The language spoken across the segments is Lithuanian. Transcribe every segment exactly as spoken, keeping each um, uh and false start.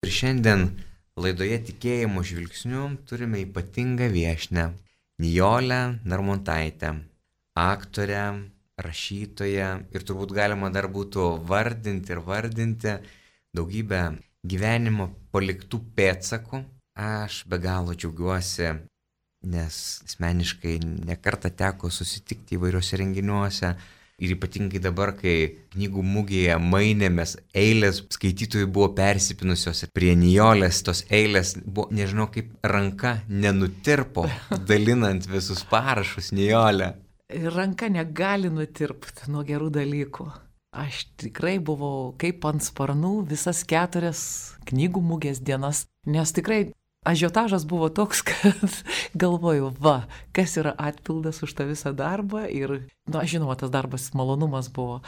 Ir šiandien laidoje Tikėjimo žvilgsniu turime ypatingą viešnią Nijolę Narmontaitę, aktorę, rašytoją ir turbūt galima dar būtų vardinti ir vardinti daugybę gyvenimo paliktų pėdsakų. Aš be galo džiaugiuosi, nes asmeniškai nekartą teko susitikti įvairiuose renginiuose. Ir ypatingai dabar, kai knygų mugėje mainėmės, eilės skaitytojų buvo persipinusios ir prie Nijolės tos eilės buvo, nežinau, kaip ranka nenutirpo, dalinant visus parašus Nijolę. Ranka negali nutirpti nuo gerų dalykų. Aš tikrai buvau kaip ant sparnų visas keturias knygų mugės dienas, nes tikrai ažiotažas buvo toks, kad galvoju, va, kas yra atpildas už tą visą darbą ir, na, žinoma, tas darbas malonumas buvo.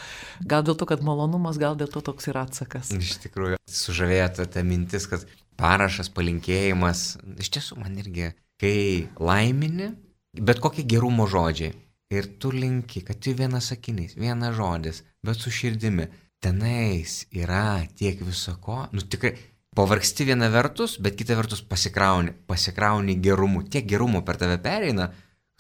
Gal dėl to, kad malonumas, gal dėl to toks ir atsakas. Iš tikrųjų, sužavėjo ta mintis, kad parašas, palinkėjimas, iš tiesų man irgi, kai laimini, bet kokie gerumo žodžiai ir tu linki, kad tai vienas sakinys, vienas žodis, bet su širdimi, tenais yra tiek visako, nu tikrai, pavargsti viena vertus, bet kita vertus pasikrauni, pasikrauni gerumu. Tiek gerumo per tave pereina,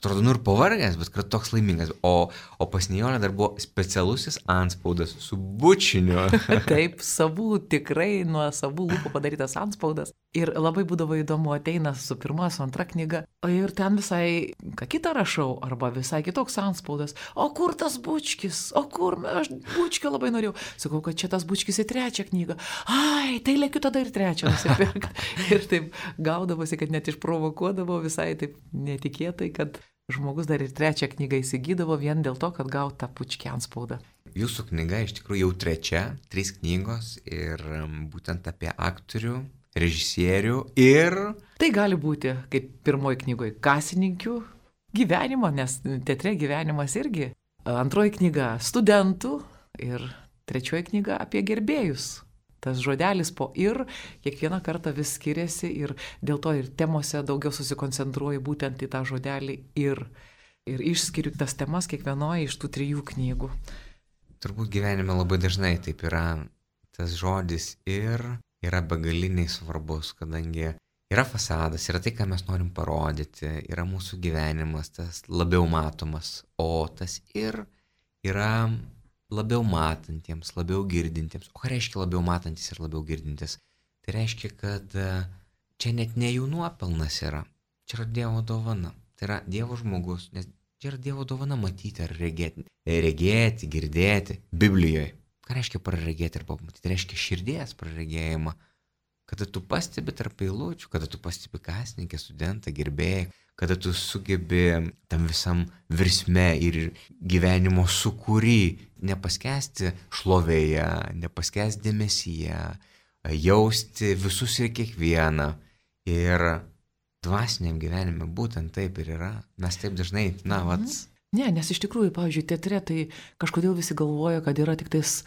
atrodo, nu ir pavargęs, bet kad toks laimingas. O, o pas Nijolę dar buvo specialusis antspaudas su bučiniu. Taip, savų, tikrai nuo savų lūpų padarytas antspaudas. Ir labai būdavo įdomu, ateina su pirma, su antra knyga, ir ten visai ką kitą rašau, arba visai kitoks antspaudas. O kur tas bučkis? O kur? Aš bučkio labai norėjau. Sakau, kad čia tas bučkis į trečią knygą. Ai, tai lėkiu tada ir trečią nusipirkti. Ir taip gaudavosi, kad net išprovokuodavo visai taip netikėtai, kad žmogus dar ir trečią knygą įsigydavo vien dėl to, kad gaut tą bučkį antspaudą. Jūsų knyga iš tikrųjų jau trečia, trys knygos ir būtent apie aktorių, režisierių ir... Tai gali būti, kaip pirmoji knygoje, kasininkių gyvenimo, nes teatre gyvenimas irgi. Antroji knyga studentų ir trečioji knyga apie gerbėjus. Tas žodelis po ir kiekvieną kartą vis skiriasi ir dėl to ir temose daugiau susikoncentruoju būtent į tą žodelį ir, ir išskiriu tas temas kiekvienoje iš tų trijų knygų. Turbūt gyvenime labai dažnai taip yra tas žodis ir yra begaliniai svarbus, kadangi yra fasadas, yra tai, ką mes norim parodyti, yra mūsų gyvenimas, tas labiau matomas, o tas ir yra labiau matantiems, labiau girdintiems. O ką reiškia labiau matantis ir labiau girdintis? Tai reiškia, kad čia net ne jų nuopelnas yra, čia yra Dievo dovana, tai yra Dievo žmogus, nes čia yra Dievo dovana matyti ar regėti, regėti, girdėti Biblijoje. Ką reiškia praregėti arba matyti? Tai reiškia širdies praregėjimą. Kada tu pastebi tarp eilučių, kada tu pastebi kasininkę, studentą, gerbėją, kada tu sugebi tam visam virsme ir gyvenimo sukūry nepaskesti šlovėje, nepaskesti dėmesyje, jausti visus ir kiekvieną. Ir dvasiniam gyvenime būtent taip ir yra. Mes taip dažnai, na, vat... Ne, nes iš tikrųjų, pavyzdžiui, teatre tai kažkodėl visi galvoja, kad yra tik tais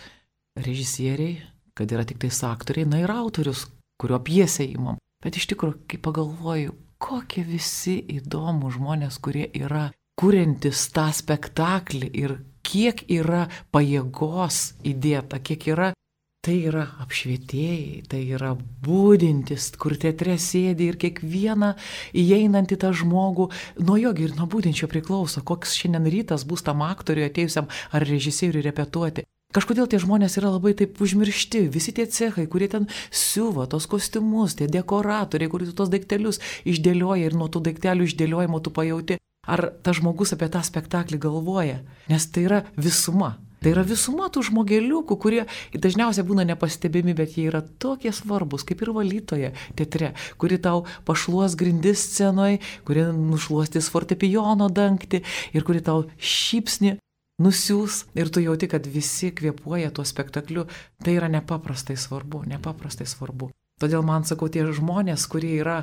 režisieriai, kad yra tik tais aktoriai, na ir autorius, kurio pjesę įmam. Bet iš tikrųjų, kai pagalvoju, kokie visi įdomų žmonės, kurie yra kuriantis tą spektaklį ir kiek yra pajėgos įdėta, kiek yra, tai yra apšvietėjai, tai yra būdintis, kur teatre sėdi ir kiekvieną įeinantį tą žmogų, nuo jo ir nuo būdinčio priklauso, koks šiandien rytas bus tam aktoriui atėjusiam ar režisieriui repetuoti. Kažkodėl tie žmonės yra labai taip užmiršti, visi tie cechai, kurie ten siuva tos kostiumus, tie dekoratoriai, kurie tos daiktelius išdėlioja ir nuo tų daiktelių išdėliojimo tu pajauti, ar tas žmogus apie tą spektaklį galvoja, nes tai yra visuma. Tai yra visuma tų žmogeliukų, kurie dažniausiai būna nepastebimi, bet jie yra tokie svarbus, kaip ir valytoja teatre, kuri tau pašluos grindis scenoje, kuri nušluostys fortepijono dangtį ir kuri tau šypsni nusiūs ir tu jauti, kad visi kvėpuoja tuo spektakliu. Tai yra nepaprastai svarbu, nepaprastai svarbu. Todėl man, sakau, tie žmonės, kurie yra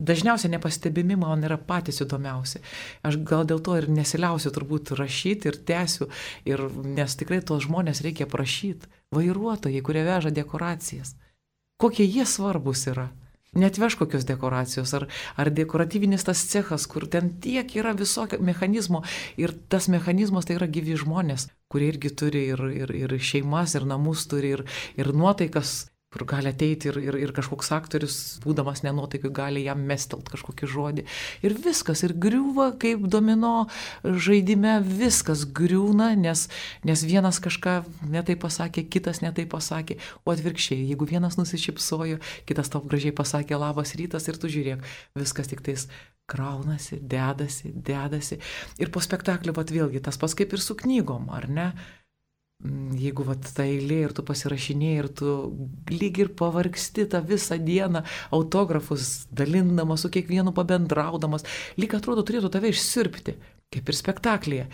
dažniausiai nepastebimi, man yra patys įdomiausi. Aš gal dėl to ir nesiliausiu turbūt rašyti ir tęsiu, ir, nes tikrai tos žmonės reikia prašyti. Vairuotojai, kurie veža dekoracijas. Kokie jie svarbus yra. Netveš kokios dekoracijos, ar, ar dekoratyvinis tas cechas, kur ten tiek yra visokio mechanizmo, ir tas mechanizmas tai yra gyvi žmonės, kurie irgi turi ir, ir, ir šeimas, ir namus turi, ir, ir nuotaikas, kur gali ateiti ir, ir, ir kažkoks aktorius, būdamas nenuotaikai, gali jam mestelt kažkokį žodį. Ir viskas, ir griūva kaip domino žaidime, viskas griūna, nes, nes vienas kažką netai pasakė, kitas netai pasakė, o atvirkščiai, jeigu vienas nusišypsojo, kitas tau gražiai pasakė labas rytas ir tu žiūrėk, viskas tik tais kraunasi, dedasi, dedasi. Ir po spektaklio, vat vėlgi, tas pats kaip ir su knygom, ar ne? Jeigu vat ta eilė ir tu pasirašinėjai ir tu lyg ir pavargsti tą visą dieną autografus dalindamas, su kiekvienu pabendraudamas, lyg atrodo turėtų tave išsirpti, kaip ir spektaklyje.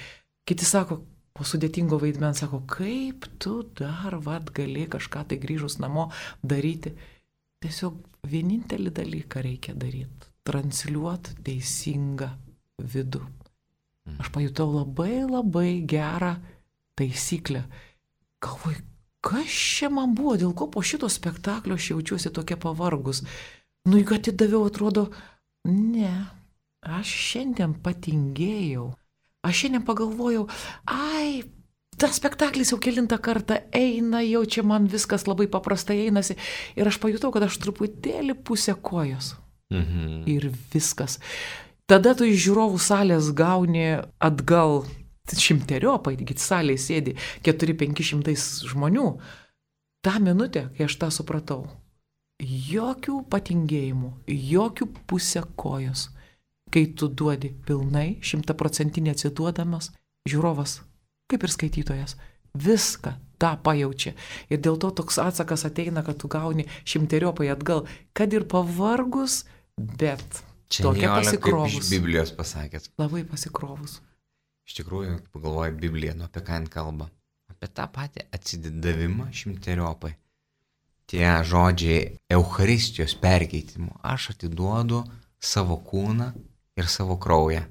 Kiti sako, po sudėtingo vaidmens, sako, kaip tu dar vat gali kažką tai grįžus namo daryti. Tiesiog vienintelį dalyką reikia daryti - transliuoti teisingą vidų. Aš pajutau labai labai gerą taisyklę. Galvoju, kas čia man buvo, dėl ko po šito spektaklio aš jaučiuosi tokia pavargus. Nu, juk atidaviau, atrodo, ne, aš šiandien patingėjau. Aš šiandien pagalvojau, ai, tas spektaklis jau kelintą kartą eina, jau čia man viskas labai paprastai einasi. Ir aš pajutau, kad aš truputėlį pusę kojos. Mhm. Ir viskas. Tada tu iš žiūrovų salės gauni atgal šimteriopai, taigi salėje sėdi keturi penki šimtai žmonių. Ta minutė, kai aš tą supratau, jokių patingėjimų, jokių pusę kojos. Kai tu duodi pilnai, šimtaprocentinį atsiduodamas, žiūrovas, kaip ir skaitytojas, viską tą pajaučia. Ir dėl to toks atsakas ateina, kad tu gauni šimteriopai atgal, kad ir pavargus, bet čia tokia Nijolė, pasikrovus. kaip iš Biblijos pasakėt. Labai pasikrovus. Iš tikrųjų, pagalvoju Bibliją, nu apie ką jin kalba. Apie tą patį atsidavimą šimteriopai. Tie žodžiai Eucharistijos perkeitimo. Aš atiduodu savo kūną ir savo kraują.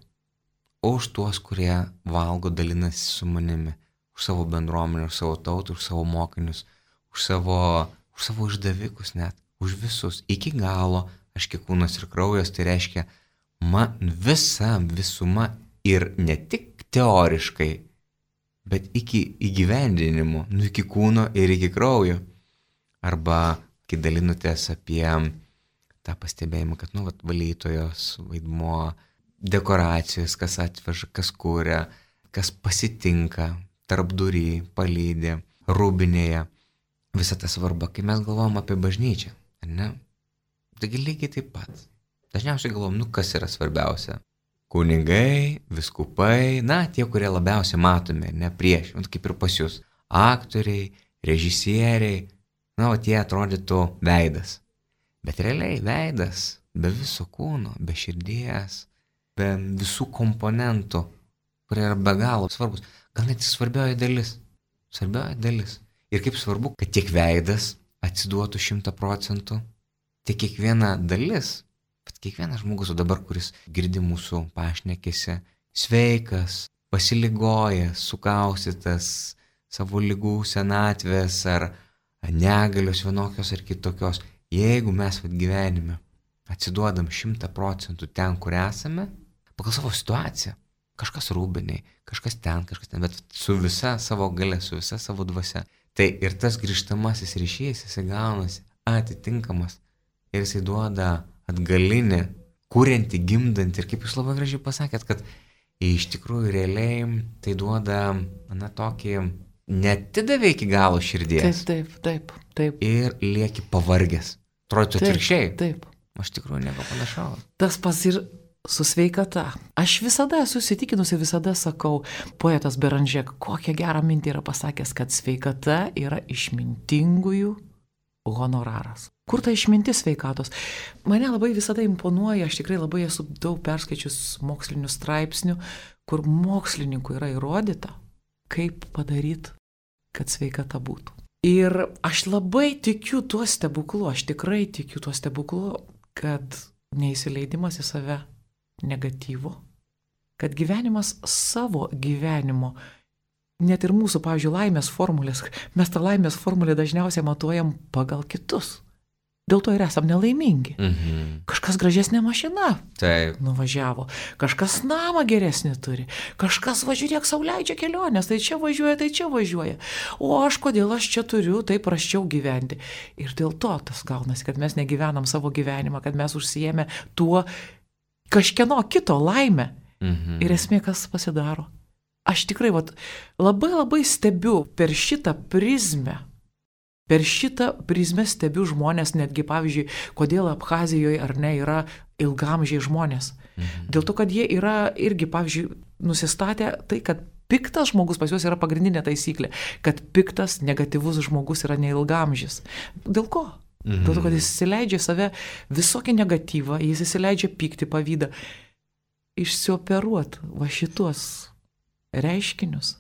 Už tuos, kurie valgo, dalinasi su manimi. Už savo bendruomenę, už savo tautą, už savo mokinius. Už savo, už savo išdavikus net. Už visus. Iki galo. Aš kiek kūnas ir kraujas, tai reiškia man visa visuma ir ne tik teoriškai, bet iki įgyvendinimo, nu iki kūno ir iki kraujo. Arba, kai dalinutės apie tą pastebėjimą, kad, nu, vat, valytojos vaidmuo, dekoracijos, kas atveža, kas kūrė, kas pasitinka, tarpdury, palydė, rūbinėje. Visa ta svarba, kai mes galvom apie bažnyčią, ar ne? Taigi lygiai taip pat. Dažniausiai galvom, nu, kas yra svarbiausia? Kunigai, viskupai, na, tie, kurie labiausiai matomi, ne prieš, kaip ir pas jūs. Aktoriai, režisieriai, na, o tie atrodytų veidas. Bet realiai veidas be viso kūno, be širdies, be visų komponentų, kurie yra be galo svarbus. Gal net svarbioji dalis. Svarbioji dalis. Ir kaip svarbu, kad tiek veidas atsiduotų šimtą procentų, tiek kiekviena dalis. Bet kiekvienas žmogus, o dabar, kuris girdi mūsų pašnekėse, sveikas, pasiligojęs, sukaustytas savo ligų senatvės ar negalios vienokios ar kitokios, jeigu mes vat gyvenime atsiduodam šimtą procentų ten, kur esame, pagal savo situaciją, kažkas rūbiniai, kažkas ten, kažkas ten, bet su visa savo galia, su visa savo dvasia, tai ir tas grįžtamasis ryšys, jisai gaunasi atitinkamas ir jisai duoda atgalinį, kuriantį, gimdantį. Ir kaip jūs labai gražiai pasakėt, kad iš tikrųjų realiai tai duoda, na, tokį netidavė iki galo širdies. Taip, taip, taip, taip. Ir lieki pavargęs. Atrodytų atvirkščiai. Taip. Aš tikrųjų nieko panašaus. Tas pas ir su sveikata. Aš visada esu įsitikinusi, visada sakau, poetas Beranžek, kokią gerą mintį yra pasakęs, kad sveikata yra išmintingųjų honoraras. Kur ta išmintis sveikatos? Mane labai visada imponuoja, aš tikrai labai esu daug perskaičius mokslinių straipsnių, kur mokslininkų yra įrodyta, kaip padaryti, kad sveikata būtų. Ir aš labai tikiu tuo stebuklu, aš tikrai tikiu tuo stebuklu, kad neįsileidimas į save negatyvo, kad gyvenimas savo gyvenimo, net ir mūsų, pavyzdžiui, laimės formulės, mes tą laimės formulę dažniausiai matuojam pagal kitus. dėl to ir esam nelaimingi. Mhm. Kažkas gražesnė mašina Taip. nuvažiavo, kažkas namą geresnį turi, kažkas važiuok sau leidžia kelionės, tai čia važiuoja, tai čia važiuoja. O aš kodėl aš čia turiu taip prasčiau gyventi. Ir dėl to tas gaunasi, kad mes negyvenam savo gyvenimą, kad mes užsijėmė tuo kažkieno kito laimę. Mhm. Ir esmė, kas pasidaro. Aš tikrai vat, labai labai stebiu per šitą prizmę. Per šitą prizmę stebiu žmonės, netgi pavyzdžiui, kodėl Abchazijoje ar ne yra ilgamžiai žmonės. Mhm. Dėl to, kad jie yra irgi, pavyzdžiui, nusistatę tai, kad piktas žmogus pas juos yra pagrindinė taisyklė, kad piktas, negatyvus žmogus yra neilgamžis. Dėl ko? Mhm. Dėl to, kad jis įsileidžia save visokį negatyvą, jis įsileidžia pyktį, pavydą. Išsioperuot va šitos reiškinius.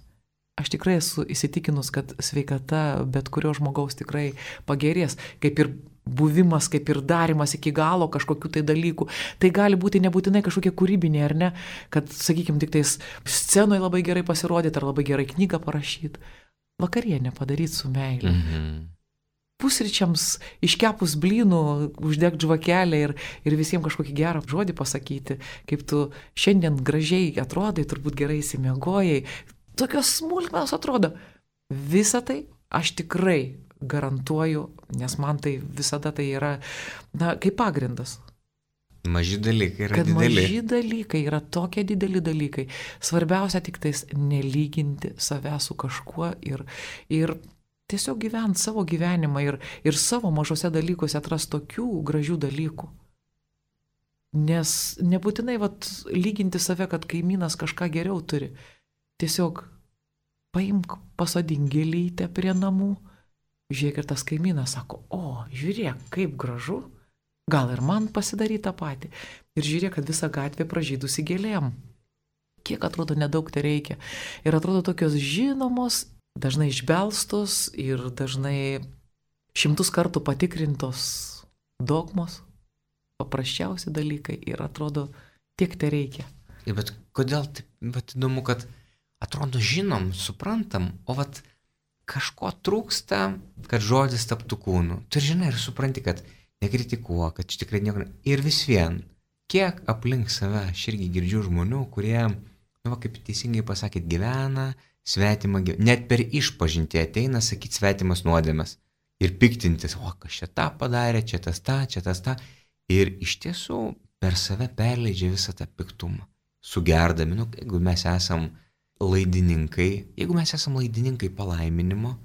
Aš tikrai esu įsitikinus, kad sveikata bet kurio žmogaus tikrai pagerės, kaip ir buvimas, kaip ir darimas iki galo kažkokių tai dalykų. Tai gali būti nebūtinai kažkokie kūrybiniai, ar ne, kad, sakykime, tik tais scenoje labai gerai pasirodyti, ar labai gerai knygą parašyti. Vakarienę padaryti su meilė. Mhm. Pusryčiams iškepus blynų, uždegt žvakelę ir, ir visiems kažkokį gerą žodį pasakyti, kaip tu šiandien gražiai atrodai, turbūt gerai įsimiegojai. Tokios smulkmenos atrodo. Visą tai aš tikrai garantuoju, nes man tai visada tai yra, na, kaip pagrindas. Maži dalykai yra Kad dideli. maži dalykai yra tokie dideli dalykai. Svarbiausia tik tais nelyginti save su kažkuo ir, ir tiesiog gyventi savo gyvenimą ir, ir savo mažose dalykuose atrasti tokių gražių dalykų. Nes nebūtinai vat, lyginti save, kad kaimynas kažką geriau turi. Tiesiog paimk, pasodink gėlytę prie namų, žiūrėk ir tas kaimynas sako, o, žiūrėk, kaip gražu, gal ir man pasidaryti tą patį. Ir žiūrėk, kad visa gatvė pražydusi gėlėm. Kiek atrodo nedaug tai reikia. Ir atrodo tokios žinomos, dažnai išbelstos ir dažnai šimtus kartų patikrintos dogmos, paprasčiausi dalykai ir atrodo tiek tai reikia. Ir bet kodėl taip, bet įdomu, kad atrodo žinom, suprantam, o vat kažko trūksta, kad žodis taptų kūnu. Tu žinai ir supranti, kad nekritikuok, kad čia tikrai nieko. Ir vis vien, kiek aplink save aš irgi girdžiu žmonių, kurie, nu, va, kaip teisingai pasakėt, gyvena svetimą gyvenimą. Net per išpažintį ateina sakyti svetimas nuodėmes. Ir piktintis, o kas čia tą padarė, čia tas tą, čia tas tą. Ir iš tiesų per save perleidžia visą tą piktumą. Sugerdami, nu, jeigu mes esam laidininkai, jeigu mes esam laidininkai palaiminimo,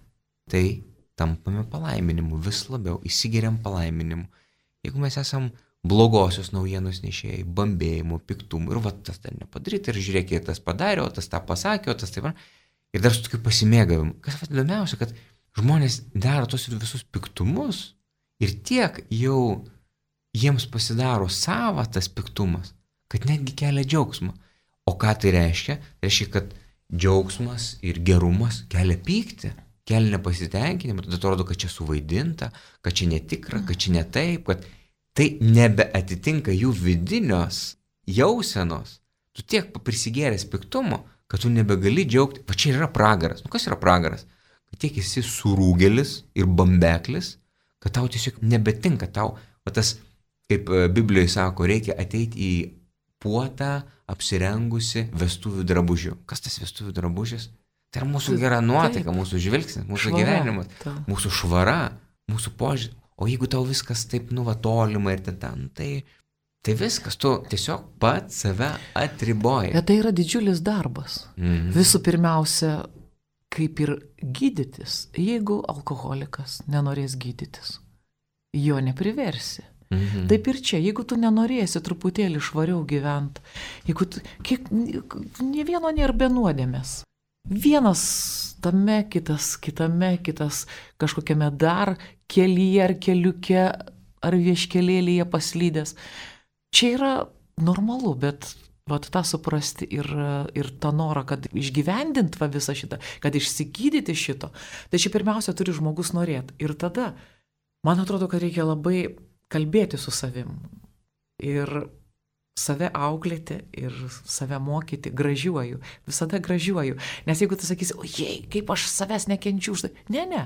tai tampame palaiminimu vis labiau, įsigeriam palaiminimu. Jeigu mes esam blogosios naujienos nešėjai, bambėjimų, piktumų, ir va tas ten nepadaryti, ir žiūrėk, tas padarė, o tas tą pasakė, o tas taip, ir dar su tokiu pasimėgavimu. Kas va įdomiausia, kad žmonės daro tos visus piktumus ir tiek jau jiems pasidaro sava tas piktumas, kad netgi kelia džiaugsmą. O ką tai reiškia? Reiškia, kad džiaugsmas ir gerumas kelia pyktį, kelia nepasitenkinimą, tada atrodo, kad čia suvaidinta, kad čia netikra, kad čia ne taip, kad tai nebeatitinka jų vidinios jausenos. Tu tiek prisigėręs piktumo, kad tu nebegali džiaugti. Va čia yra pragaras. Nu kas yra pragaras? Kad tiek esi surūgelis ir bambeklis, kad tau tiesiog nebetinka tau. Va tas, kaip Biblijoje sako, reikia ateiti į puotą apsirengusi vestuvių drabužių. Kas tas vestuvių drabužis? Tai yra mūsų gera nuotaika, taip, mūsų žvilgsnis, mūsų švara, gyvenimas, ta. Mūsų švara, mūsų požiūrį. O jeigu tau viskas taip nuvatolima ir ten, ten tai, tai viskas, tu tiesiog pats save atriboji. Bet tai yra didžiulis darbas. Mhm. Visų pirmiausia, kaip ir gydytis, jeigu alkoholikas nenorės gydytis, jo nepriversi. Mhm. Taip ir čia, jeigu tu nenorėsi truputėlį švariau gyventi, jeigu tu, kiek, ne vieno nėra be nuodėmės. Vienas tame, kitas kitame, kitas kažkokiame dar kelyje ar keliuke ar vieškelėlyje paslydęs. Čia yra normalu, bet vat tą suprasti ir, ir tą norą, kad išgyvendint va visą šitą, kad išsigydyti šito, tai čia pirmiausia turi žmogus norėti. Ir tada, man atrodo, kad reikia labai kalbėti su savim ir save auklėti ir save mokyti, gražiuoju, visada gražiuoju. Nes jeigu tu sakysi, ojei, kaip aš savęs nekenčiu už tai, ne, ne,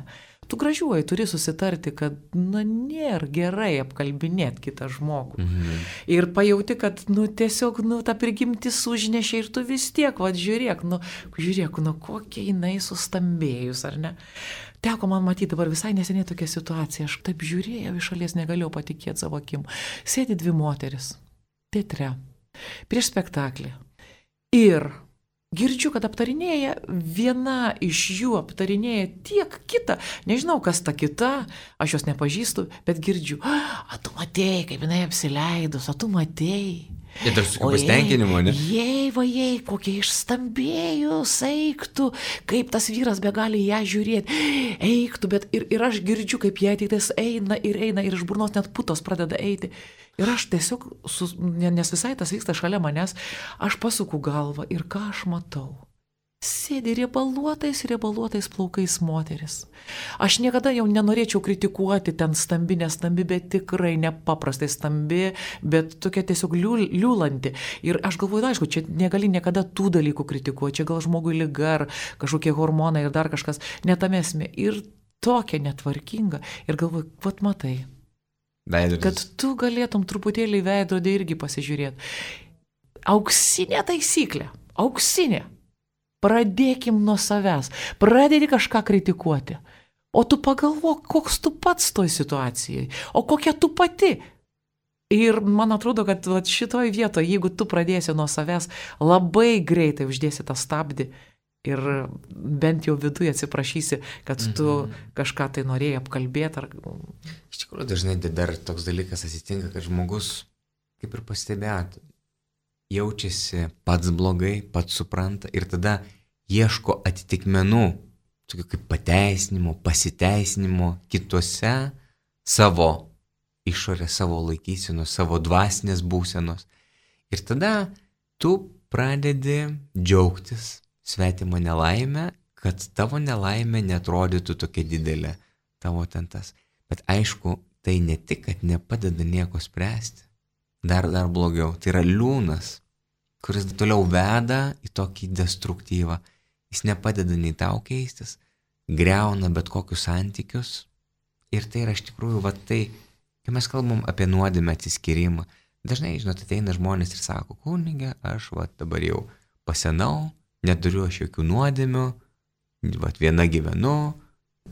tu gražiuoji turi susitarti, kad, nu, nėra gerai apkalbinėti kitą žmogų. Mhm. Ir pajauti, kad, nu, tiesiog, nu, ta prigimtis užnešė ir tu vis tiek, va, žiūrėk, nu, žiūrėk, nu, kokia jinai sustambėjus, ar ne? Teko man matyti dabar visai neseniai tokia situacija, aš taip žiūrėjau iš šalies, negalėjau patikėti savo akim. Sėdi dvi moteris, teatre, prieš spektaklį. Ir girdžiu, kad aptarinėja, viena iš jų aptarinėja tiek kitą, nežinau, kas ta kita, aš jos nepažįstu, bet girdžiu, a, tu matėjai, kaip jinai apsileidus, a tu matėjai. Ir dar su pasitenkinimo, ne? Jei, va, jei, kokie išstambėjus, eiktų, kaip tas vyras be gali ją žiūrėti, eiktų, bet ir, ir aš girdžiu, kaip jie ateitais eina ir eina ir iš burnos net putos pradeda eiti. Ir aš tiesiog, su, nes visai tas vyksta šalia manęs, aš pasuku galvą ir ką aš matau? Sėdi riebaluotais, riebaluotais plaukais moteris. Aš niekada jau nenorėčiau kritikuoti ten stambi, nestambi, bet tikrai nepaprastai stambi, bet tokia tiesiog liūlanti. Ir aš galvoju, aišku, čia negali niekada tų dalykų kritikuoti, čia gal žmogui liga ar kažkokie hormonai ir dar kažkas, netamesmė. Ir tokia netvarkinga. Ir galvoju, vat matai. Veidrodis. Kad tu galėtum truputėlį veidrodį irgi pasižiūrėti. Auksinė taisyklė, auksinė. Pradėkim nuo savęs, pradėti kažką kritikuoti. O tu pagalvok, koks tu pats toj situacijai, o kokia tu pati. Ir man atrodo, kad šitoj vietoje, jeigu tu pradėsi nuo savęs, labai greitai uždėsi tą stabdį ir bent jau viduje atsiprašysi, kad tu mhm. kažką tai norėjai apkalbėti. Ar... Iš tikrųjų, dažnai dar toks dalykas atsitinka, kad žmogus, kaip ir pastebėtų, jaučiasi pats blogai, pats supranta ir tada ieško atitikmenų, tokių kaip pateisinimo, pasiteisinimo kituose savo išorės, savo laikysenos, savo dvasinės būsenos. Ir tada tu pradedi džiaugtis svetimą nelaimę, kad tavo nelaimė neatrodytų tokia didelė, tavo tentas. Bet aišku, tai ne tik, kad nepadeda nieko spręsti. Dar, dar blogiau. Tai yra liūnas, kuris toliau veda į tokį destruktyvą. Jis nepadeda nei tau keistis, greuna bet kokius santykius. Ir tai yra iš tikrųjų, va tai, kai mes kalbam apie nuodėmę atsiskyrimą, dažnai, žinot, ateina žmonės ir sako, kunige, aš va dabar jau pasenau, neturiu aš jokių nuodėmių, va viena gyvenu,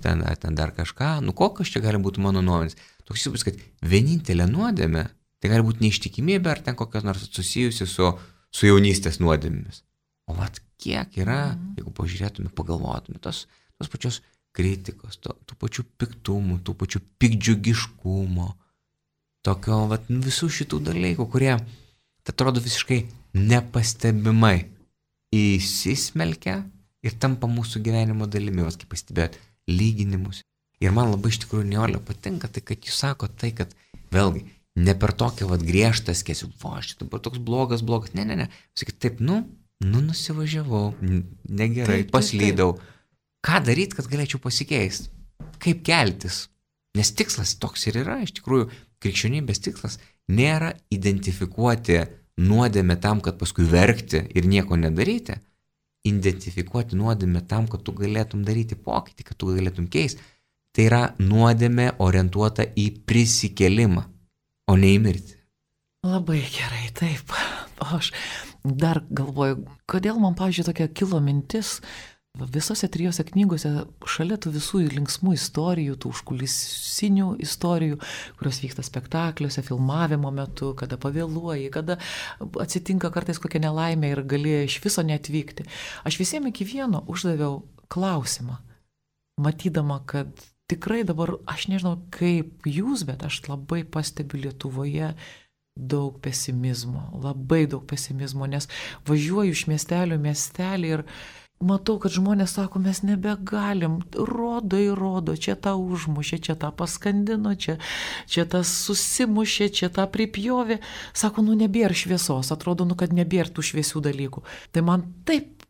ten, ten dar kažką, nu kokios čia gali būti mano nuomonės. Toks įspūdis, kad vienintelė nuodėmė, tai gali būti neištikimybė ar ten kokios nors susijusi su, su jaunystės nuodėmėmis. O vat kiek yra, mm. jeigu pažiūrėtume, pagalvotume, tos, tos pačios kritikos, to, tų pačių piktumų, tų pačių pikdžiugiškumo, tokio vat visų šitų dalykų, kurie, tai atrodo visiškai nepastebimai įsismelkia ir tampa mūsų gyvenimo dalimi, vas kaip pastebėjot, lyginimus. Ir man labai iš tikrųjų Nijolė patinka, tai kad jūs sako tai, kad vėlgi, ne per tokią vat griežtą skėsiu, va, šitą dabar toks blogas, blogas, ne, ne, ne. Sakyt, taip, nu, nu nusivažiavau, negerai, taip, paslydau. Taip, taip. Ką daryti, kad galėčiau pasikeisti? Kaip keltis? Nes tikslas toks ir yra, iš tikrųjų, krikščionybės tikslas nėra identifikuoti nuodėmę tam, kad paskui verkti ir nieko nedaryti. Identifikuoti nuodėmę tam, kad tu galėtum daryti pokytį, kad tu galėtum keisti. Tai yra nuodėmė orientuota į prisikėlimą, o ne į mirtį. Labai gerai, taip. O aš dar galvoju, kodėl man, pavyzdžiui, tokia kilo mintis, visose trijose knygose šalia tų visų linksmų istorijų, tų užkulisinių istorijų, kurios vyksta spektakliuose, filmavimo metu, kada pavėluoji, kada atsitinka kartais kokia nelaimė ir gali iš viso neatvykti. Aš visiems iki vieno uždaviau klausimą, matydama, kad tikrai dabar, aš nežinau kaip jūs, bet aš labai pastebiu Lietuvoje daug pesimizmo, labai daug pesimizmo, nes važiuoju iš miestelio miestelį ir matau, kad žmonės sako, mes nebegalim, rodo ir rodo, čia tą užmušė, čia tą paskandino, čia, čia tas susimušė, čia tą pripjovė. Sako, nu nebėra šviesos, atrodo, nu kad nebėra tų šviesių dalykų. Tai man taip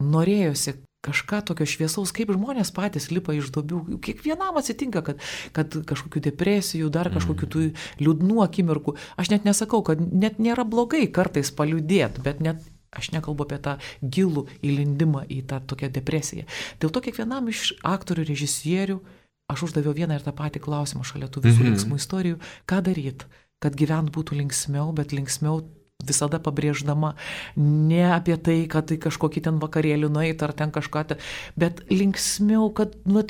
norėjosi kažką tokio šviesaus, kaip žmonės patys lipa iš duobių. Kiekvienam atsitinka, kad, kad kažkokių depresijų, dar kažkokių tų liūdnų akimirkų. Aš net nesakau, kad net nėra blogai kartais paliūdėti, bet net aš nekalbu apie tą gilų įlindimą į tą tokią depresiją. Dėl to kiekvienam iš aktorių, režisierių, aš uždaviau vieną ir tą patį klausimą šalia tų visų Mhm. linksmų istorijų, ką daryti, kad gyvent būtų linksmiau, bet linksmiau visada pabrėždama ne apie tai, kad tai kažkokį ten vakarėlį nueit ar ten kažką, te, bet linksmiau, kad, nu,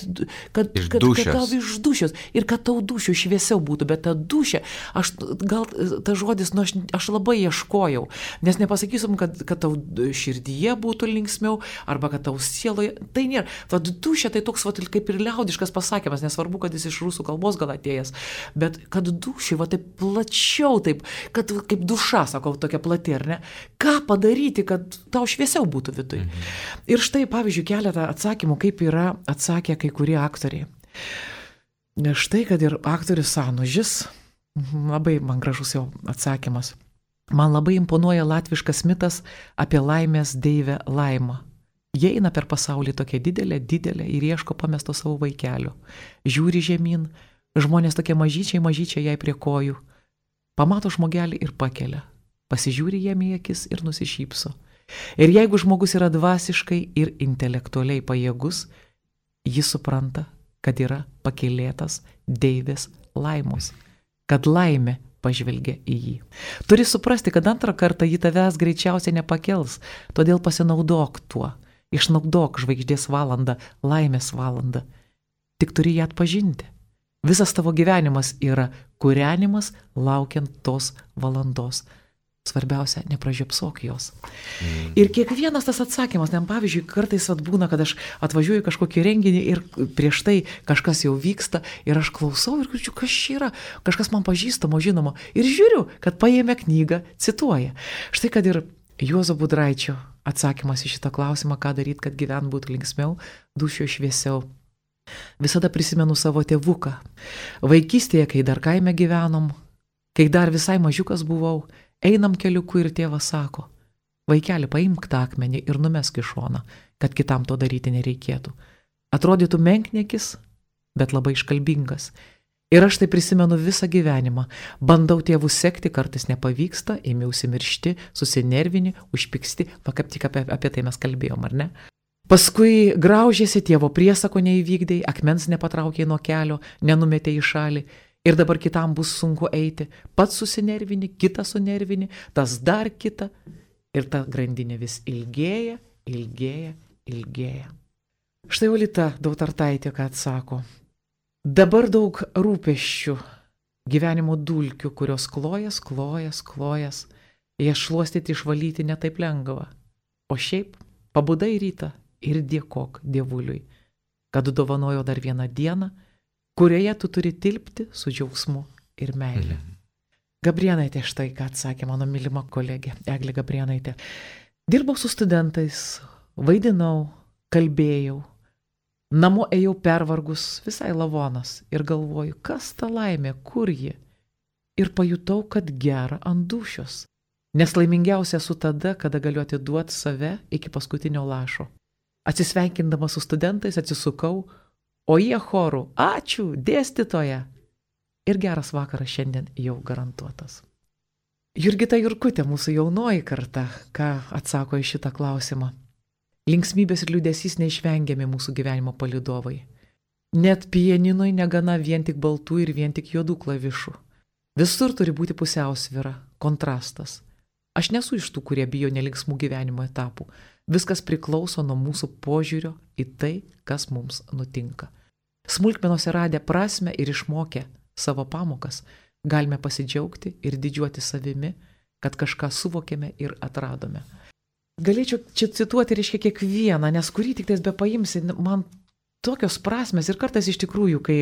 kad, Iš kad, kad dūšios. tau iš dūšios ir kad tau dūšių šviesiau būtų, bet ta dūšė, aš gal ta žodis, nu, aš, aš labai ieškojau, nes nepasakysim, kad, kad tau širdyje būtų linksmiau arba kad tau sieloje, tai nėra. Ta dūšė tai toks va, kaip ir liaudiškas pasakymas, nesvarbu, kad jis iš rusų kalbos gal atėjęs, bet kad dūšė, va taip plačiau, taip, kad kaip duša, sakau, tokia plati, ar ne? Ką padaryti, kad tau šviesiau būtų viduje? Mhm. Ir štai, pavyzdžiui, keletą atsakymų, kaip yra atsakę kai kurie aktoriai. Štai, kad ir aktorius Sanužis, labai man gražus jo atsakymas. Man labai imponuoja latviškas mitas apie laimės deivę Laimą. Jie eina per pasaulį tokia didelė, didelė ir ieško pamesto savo vaikelio. Žiūri žemyn, žmonės tokie mažyčiai, mažyčiai jai prie kojų. Pamato žmogelį ir pakelia. Pasižiūri jam į akis ir nusišypso. Ir jeigu žmogus yra dvasiškai ir intelektualiai pajėgus, jis supranta, kad yra pakylėtas deivės Laimos, kad laimė pažvelgia į jį. Turi suprasti, kad antrą kartą jį tavęs greičiausiai nepakels, todėl pasinaudok tuo, išnaudok žvaigždės valandą, laimės valandą. Tik turi ją atpažinti. Visas tavo gyvenimas yra kūrenimas laukiant tos valandos. Svarbiausia, nepražiopsok jos. Mm. Ir kiekvienas tas atsakymas, nem pavyzdžiui, kartais atbūna, kad aš atvažiuoju kažkokį renginį ir prieš tai kažkas jau vyksta ir aš klausau ir girdžiu, kas čia yra, kažkas man pažįstamo, žinomo ir žiūriu, kad paėmė knygą, cituoja. Štai kad ir Juozo Budraičio atsakymas į šitą klausimą, ką daryti, kad gyvent būtų linksmiau, dūšio šviesiau. Visada prisimenu savo tėvuką. Vaikystėje, kai dar kaime gyvenom, kai dar visai mažiukas buvau, einam keliuku ir tėvas sako, vaikeli, paimk tą akmenį ir numesk į šoną, kad kitam to daryti nereikėtų. Atrodytų menkniekis, bet labai iškalbingas. Ir aš tai prisimenu visą gyvenimą. Bandau tėvų sekti, kartais nepavyksta, ėmiausi miršti, susinervini, užpyksti, va kaip tik apie, apie tai mes kalbėjom, ar ne? Paskui graužėsi, tėvo priesako neįvykdai, akmens nepatraukė nuo kelio, nenumetė į šalį. Ir dabar kitam bus sunku eiti. Pats susinervini, kitą sunervini, tas dar kitą. Ir ta grandinė vis ilgėja, ilgėja, ilgėja. Štai Olita Dautartaitė, ką atsako. Dabar daug rūpesčių, gyvenimo dulkių, kurios klojas, klojas, klojas. Jas šluostyti, išvalyti netaip lengva. O šiaip pabudai rytą ir dėkok Dievuliui, kad dovanojo dar vieną dieną, kurioje tu turi tilpti su džiaugsmu ir meilė. Mm. Gabrėnaitė štai, ką atsakė mano mylima kolegė, Eglė Gabrėnaitė. Dirbau su studentais, vaidinau, kalbėjau, namo ėjau pervargus, visai lavonas ir galvoju, kas ta laimė, kur ji. Ir pajutau, kad gera ant dūšios. Nes laimingiausia esu tada, kada galiu atiduoti save iki paskutinio lašo. Atsisveikindama su studentais atsisukau, o jie chorų, ačiū, dėstytoja. Ir geras vakaras šiandien jau garantuotas. Jurgita Jurkutė, mūsų jaunoji karta, ką atsako į šitą klausimą. Linksmybės ir liūdesys neišvengiami mūsų gyvenimo palydovai. Net pianinui negana vien tik baltų ir vien tik juodų klavišų. Visur turi būti pusiausvyra, kontrastas. Aš nesu iš tų, kurie bijo nelinksmų gyvenimo etapų. Viskas priklauso nuo mūsų požiūrio į tai, kas mums nutinka. Smulkmenose radę prasme ir išmokę savo pamokas, galime pasidžiaugti ir didžiuoti savimi, kad kažką suvokėme ir atradome. Galėčiau čia cituoti, reiškia, kiekvieną, nes kurį tik tais be paimsi, man tokios prasmės ir kartais iš tikrųjų, kai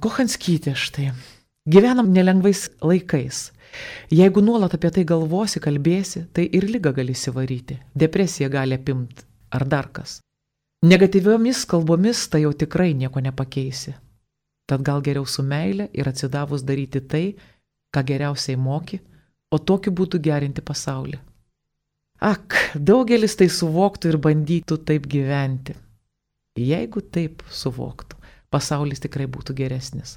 Kochanskytė štai, gyvenam nelengvais laikais. Jeigu nuolat apie tai galvosi, kalbėsi, tai ir ligą gali įsivaryti, depresija gali apimti ar dar kas. Negatyviomis kalbomis tai jau tikrai nieko nepakeisi. Tad gal geriau su meile ir atsidavus daryti tai, ką geriausiai moki, o tokiu būdu gerinti pasaulį. Ak, daugelis tai suvoktų ir bandytų taip gyventi. Jeigu taip suvoktų, pasaulis tikrai būtų geresnis.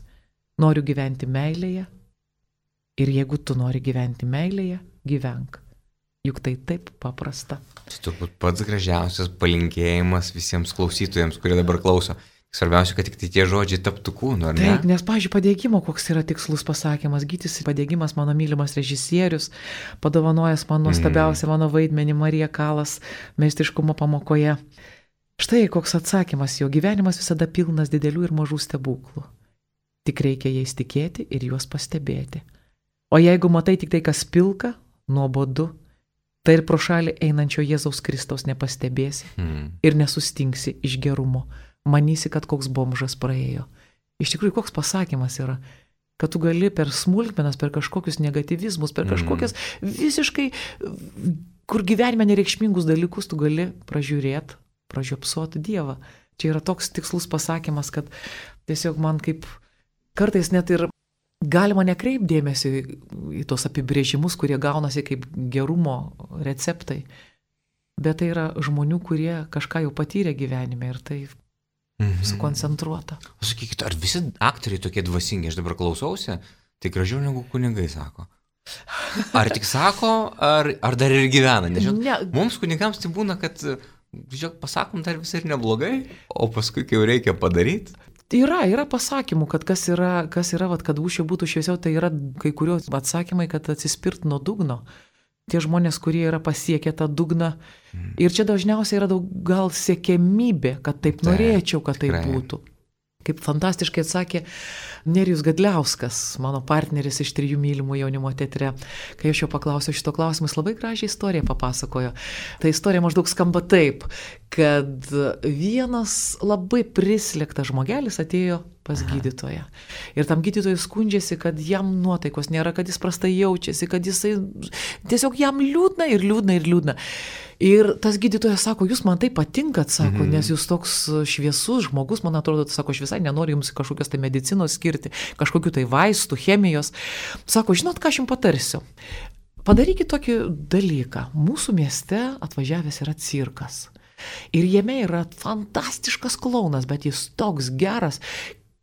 Noriu gyventi meilėje. Ir jeigu tu nori gyventi meilėje, gyvenk. Juk tai taip paprasta. Tai turbūt pats gražiausias palinkėjimas visiems klausytojams, kurie dabar klauso. Svarbiausia, kad tik tai tie žodžiai taptų kūnu, ar ne? Taip, nes, pavyzdžiui, padėgymo, koks yra tikslus pasakymas, Gytis Padėgymas, mano mylimas režisierius, padovanojęs man nuostabiausią mm. mano vaidmenį Marija Kalas meistriškumo pamokoje. Štai koks atsakymas, jo gyvenimas visada pilnas didelių ir mažų stebuklų. Tik reikia jais tikėti ir juos pastebėti. O jeigu matai tik tai, kas pilka, nuobodu, tai ir pro šalį einančio Jėzaus Kristaus nepastebėsi mm. ir nesustingsi iš gerumo. Manysi, kad koks bomžas praėjo. Iš tikrųjų, koks pasakymas yra, kad tu gali per smulkmenas, per kažkokius negatyvizmus, per kažkokias visiškai, kur gyvenime nereikšmingus dalykus tu gali pražiūrėti, pražiopsuoti Dievą. Čia yra toks tikslus pasakymas, kad tiesiog man kaip kartais net ir galima nekreipdėmėsi į tos apibrėžimus, kurie gaunasi kaip gerumo receptai, bet tai yra žmonių, kurie kažką jau patyrė gyvenime ir tai Mhm. sukoncentruota. Sakykit, ar visi aktoriai tokie dvasingi, aš dabar klausausi, tai gražiau negu kunigai sako. Ar tik sako, ar, ar dar ir gyvena? Nežinau, ne. Mums kunigams tai būna, kad, žiūrėk, pasakom dar visai ir neblogai, o paskui, kai jau reikia padaryti. Yra, yra pasakymų, kad kas yra, kas yra, vat, kad ūšio būtų šviesiau, tai yra kai kurios atsakymai, kad atsispirt nuo dugno. Tie žmonės, kurie yra pasiekę tą dugną. Mm. Ir čia dažniausiai yra daug gal siekiamybė, kad taip norėčiau, kad taip būtų. Kaip fantastiškai atsakė Nerijus Gadliauskas, mano partneris iš Trijų mylimų jaunimo teatre. Kai aš jo paklausiau šito klausimą, jis labai gražią istoriją papasakojo. Ta istorija maždaug skamba taip, kad vienas labai prislėgtas žmogelis atėjo pas gydytoją. Ir tam gydytojui skundžiasi, kad jam nuotaikos nėra, kad jis prastai jaučiasi, kad jisai tiesiog jam liūdna ir liūdna ir liūdna. Ir tas gydytojas sako, jūs man tai patinkat, sako, mhm. nes jūs toks šviesus žmogus, man atrodo, sako, aš visai nenoriu jums kažkokios tai medicinos skirti, kažkokių tai vaistų, chemijos. Sako, žinot, ką aš jums patarsiu? Padarykit tokį dalyką. Mūsų mieste atvažiavęs yra cirkas. Ir jame yra fantastiškas klounas, bet jis toks geras.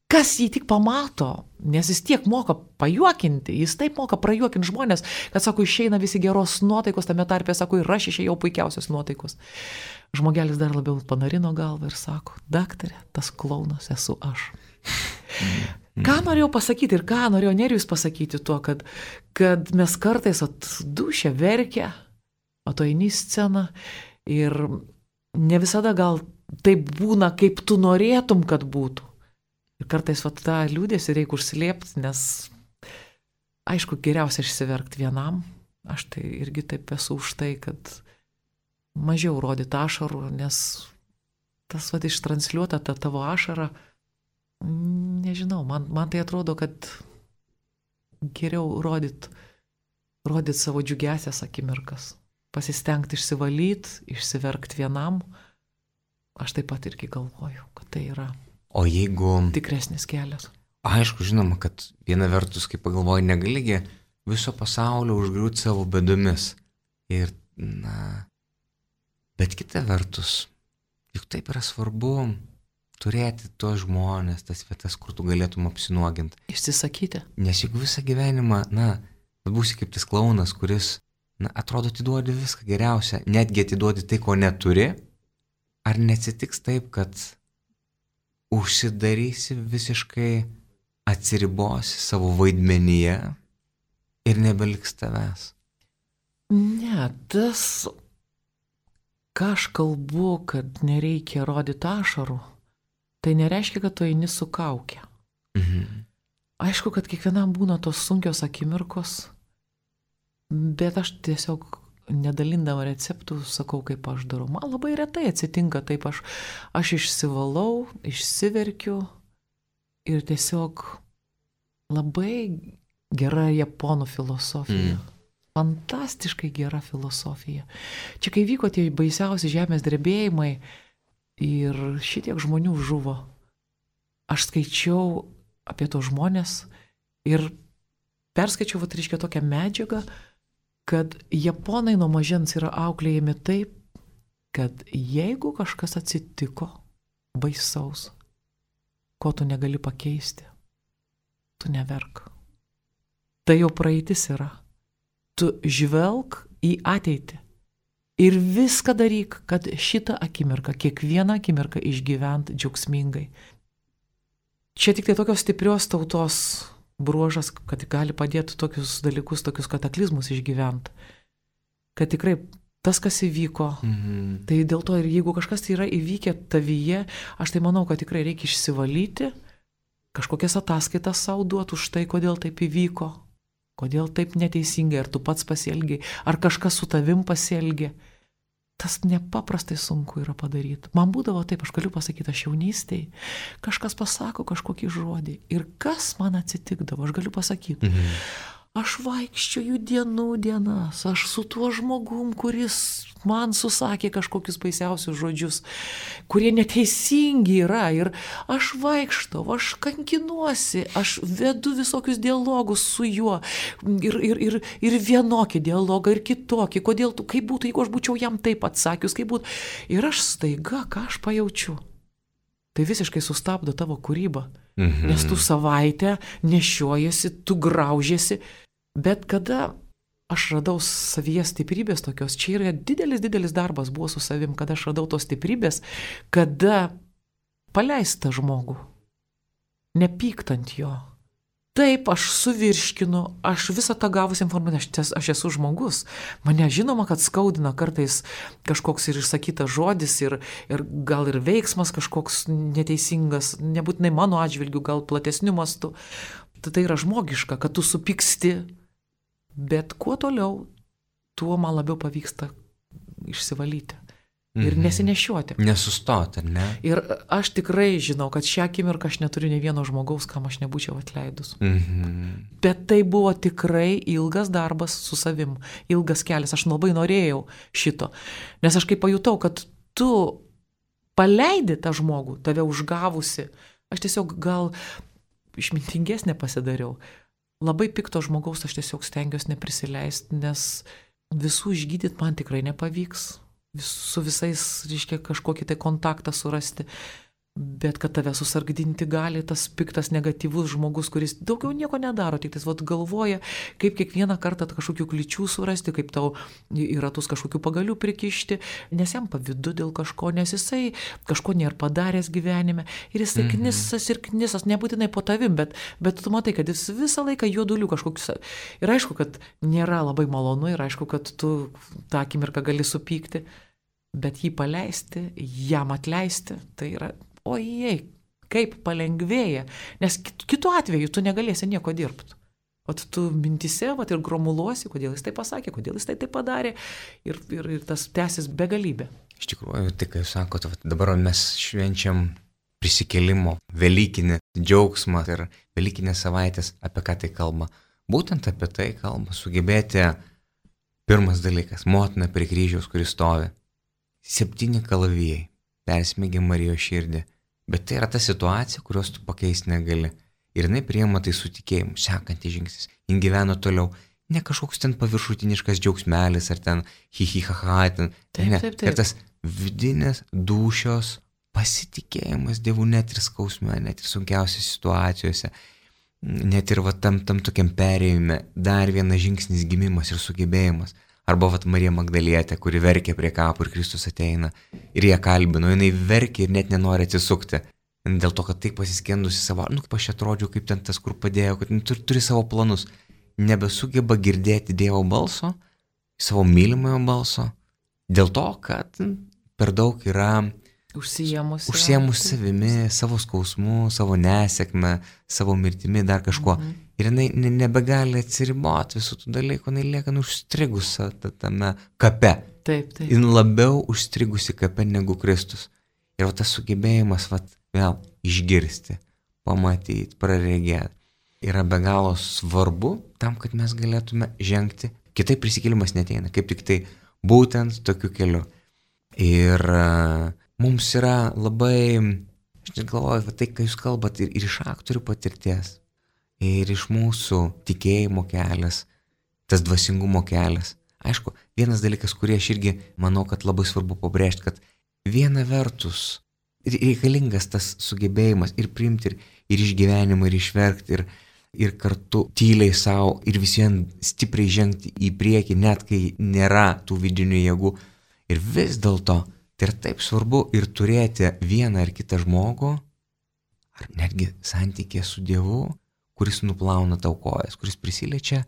Kas jį tik pamato, nes jis tiek moka pajuokinti, jis taip moka prajuokinti žmonės, kad, sako, išeina visi geros nuotaikos, tame tarpe, sako, ir aš išėjau puikiausios nuotaikos. Žmogelis dar labiau panarino galvą ir sako, daktarė, tas klounas esu aš. Ką norėjau pasakyti ir ką norėjo Nerijus pasakyti tuo, kad, kad mes kartais atdušę verkia, o to eini į sceną ir ne visada gal taip būna, kaip tu norėtum, kad būtų. Ir kartais vat, tą liūdėsi reikia užslėpti, nes aišku, geriausia išsiverkti vienam. Aš tai irgi taip esu už tai, kad mažiau rodyti ašarų, nes tas vat, ištransliuota ta tavo ašara, nežinau, man, man tai atrodo, kad geriau rodyti rodyt savo džiugesias akimirkas, pasistengti išsivalyti, išsiverkti vienam. Aš taip pat irgi galvoju, kad tai yra O jeigu tikresnis kelias. Aišku, žinoma, kad viena vertus, kaip pagalvoju, negaligi viso pasaulio užgriūti savo bėdomis. Ir, na, bet kita vertus, juk taip yra svarbu turėti tuos žmonės, tas vietas, kur tu galėtum apsinuoginti. Išsisakyti. Nes juk visą gyvenimą, na, būsi kaip tas klounas, kuris, na, atrodo, atiduodi viską geriausia, netgi atiduodi tai, ko neturi. Ar neatsitiks taip, kad užsidarysi visiškai, atsiribosi savo vaidmenyje ir nebeliks tavęs? Ne, tas, ką aš kalbu, kad nereikia rodyti ašarų, tai nereiškia, kad tu eini su kauke. Mhm. Aišku, kad kiekvienam būna tos sunkios akimirkos, bet aš tiesiog nedalindama receptų sakau, kaip aš darau. Man labai retai atsitinka taip, aš, aš išsivalau, išsiverkiu ir tiesiog labai gera japonų filosofija. Mm. Fantastiškai gera filosofija. Čia kai vyko tie baisiausi žemės drebėjimai ir šitiek žmonių žuvo, aš skaičiau apie tos žmonės ir perskaičiau, vat, reiškia, tokią medžiagą, kad japonai nuo mažens yra auklėjami taip, kad jeigu kažkas atsitiko baisaus, ko tu negali pakeisti, tu neverk. Tai jau praeitis yra. Tu žvelk į ateitį ir viską daryk, kad šitą akimirką, kiekvieną akimirką išgyvent džiaugsmingai. čia tik tai tokios stiprios tautos bruožas, kad gali padėti tokius dalykus, tokius kataklizmus išgyventi. Kad tikrai tas, kas įvyko, mhm. tai dėl to ir jeigu kažkas tai yra įvykę tavyje, aš tai manau, kad tikrai reikia išsivalyti, kažkokias ataskaitas savo duoti už tai, kodėl taip įvyko, kodėl taip neteisingai, ar tu pats pasielgiai, ar kažkas su tavim pasielgė. Tas nepaprastai sunku yra padaryti. Man būdavo taip, aš galiu pasakyti, aš jaunystėj, kažkas pasako kažkokį žodį ir kas man atsitikdavo, aš galiu pasakyti. Mhm. Aš vaikščioju dienų dienas, aš su tuo žmogum, kuris man susakė kažkokius baisiausius žodžius, kurie neteisingi yra ir aš vaikštau, aš kankinuosi, aš vedu visokius dialogus su juo ir, ir, ir, ir vienokį dialogą ir kitokį, kodėl tu, kaip būtų, jeigu aš būčiau jam taip atsakius, kaip būtų. Ir aš staiga, ką aš pajaučiu, tai visiškai sustabdo tavo kūrybą, mhm. nes tu savaitę nešiojasi, tu graužiesi. Bet kada aš radau savyje stiprybės tokios, čia yra didelis, didelis darbas buvo su savim, kada aš radau tos stiprybės, kada paleist tą žmogų, nepyktant jo. Taip, aš suvirškinu, aš visą tą gavus informaciją, aš, aš esu žmogus. Mane žinoma, kad skaudina kartais kažkoks ir išsakytas žodis ir, ir gal ir veiksmas kažkoks neteisingas, nebūtinai mano atžvilgiu, gal platesniu mastu. Tai yra žmogiška, kad tu supyksti. Bet kuo toliau, tuo man labiau pavyksta išsivalyti ir mhm. nesinešiuoti. Nesustoti, ne? Ir aš tikrai žinau, kad šią akimirką aš neturiu nei vieno žmogaus, kam aš nebūčiau atleidus. Mhm. Bet tai buvo tikrai ilgas darbas su savim, ilgas kelias. Aš labai norėjau šito, nes aš kai pajutau, kad tu paleidi tą žmogų, tave užgavusi, aš tiesiog gal išmintingesnė pasidariau. Labai pikto žmogaus aš tiesiog stengiuosi neprisileisti, nes visų išgydyti man tikrai nepavyks. Vis, su visais, reiškia, kažkokį tai kontaktą surasti. Bet kad tave susargdinti gali tas piktas, negatyvus žmogus, kuris daugiau nieko nedaro, tik tas vat galvoja, kaip kiekvieną kartą kažkokių kličių surasti, kaip tau į ratus kažkokių pagalių prikišti, nes jam pavydu dėl kažko, nes jisai kažko nėra padaręs gyvenime. Ir jisai mhm. knisas ir knisas, nebūtinai po tavim, bet, bet tu matai, kad jis visą laiką juodulių kažkokius. Ir aišku, kad nėra labai malonu, ir aišku, kad tu tą akimirką gali supykti, bet jį paleisti, jam atleisti, tai yra... Ojei, kaip palengvėja, nes kitu atveju tu negalėsi nieko dirbti. O tu mintise vat, ir gromuluosi, kodėl jis tai pasakė, kodėl jis tai tai padarė ir, ir, ir tas tęsis begalybė. Iš tikrųjų, tai kai jūs sakote, dabar mes švenčiam prisikėlimo, velykinį džiaugsmą ir velykinės savaitės, apie ką tai kalba. Būtent apie tai kalba, sugebėti, pirmas dalykas, motina prie kryžiaus, kuris stovi, septyni kalavijai, persmėgė Marijos širdį. Bet tai yra ta situacija, kurios tu pakeisti negali. Ir jinai priima tai su tikėjimu, sekantis žingsnis. Jin gyveno toliau. Ne kažkoks ten paviršutiniškas džiaugsmelis, ar ten hi-hi-ha-ha. Ten. Taip, ne. taip, taip. Ir tas vidinės dūšios pasitikėjimas Dievu net ir skausme, net ir sunkiausiose situacijose, net ir va, tam, tam tokiam perėjime, dar vienas žingsnis gimimas ir sugebėjimas. Arba vat Marija Magdalietė, kuri verkė prie kapų ir Kristus ateina ir ją kalbino, jinai verkė ir net nenori atsisukti. Dėl to, kad taip pasiskendusi savo, nu kaip aš atrodžiau, kaip ten tas, kur padėjo, kad turi, turi savo planus. Nebesugeba girdėti Dievo balso, savo mylimojo balso, dėl to, kad per daug yra užsiemus, užsiemus savimi, savo skausmu, savo nesėkme, savo mirtimi, dar kažkuo. Mhm. Ir jinai nebegali atsiriboti visų tų dalykų, jinai lieka užstrigusi tame kape. Taip, taip. Jin labiau užstrigusi kape negu Kristus. Ir va, tas sugebėjimas va, vėl išgirsti, pamatyti, praregėti yra be galo svarbu tam, kad mes galėtume žengti. Kitaip prisikėlimas neteina, kaip tik tai būtent tokiu keliu. Ir uh, mums yra labai, aš net galvoju, va, tai, kai jūs kalbat ir, ir iš aktorių patirties, ir iš mūsų tikėjimo kelias, tas dvasingumo kelias. Aišku, vienas dalykas, kurį aš irgi manau, kad labai svarbu pabrėžti, kad viena vertus reikalingas tas sugebėjimas ir priimti, ir, ir išgyvenimą, ir išverkti, ir, ir kartu tyliai savo, ir visien stipriai žengti į priekį, net kai nėra tų vidinių jėgų. Ir vis dėlto tai yra taip svarbu ir turėti vieną ar kitą žmogų, ar netgi santykė su Dievu, kuris nuplauna tau kojas, kuris prisiliečia